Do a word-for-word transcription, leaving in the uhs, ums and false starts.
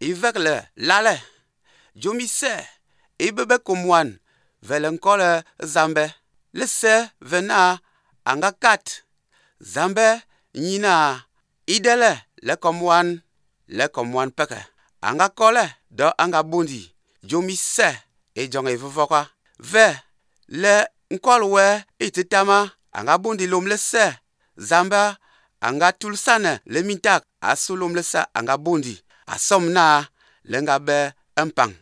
ivekle lale jomise ibebe komwan vele nkole zambe lese vena anga kat zambe nyina idele le komwan le komwan peke anga kole do anga bundi jomise e jong evovoka ve le nkolwe ititama anga bundi lom lese zamba anga tulsane le mintak asulum lese anga bundi asomna lenga be empang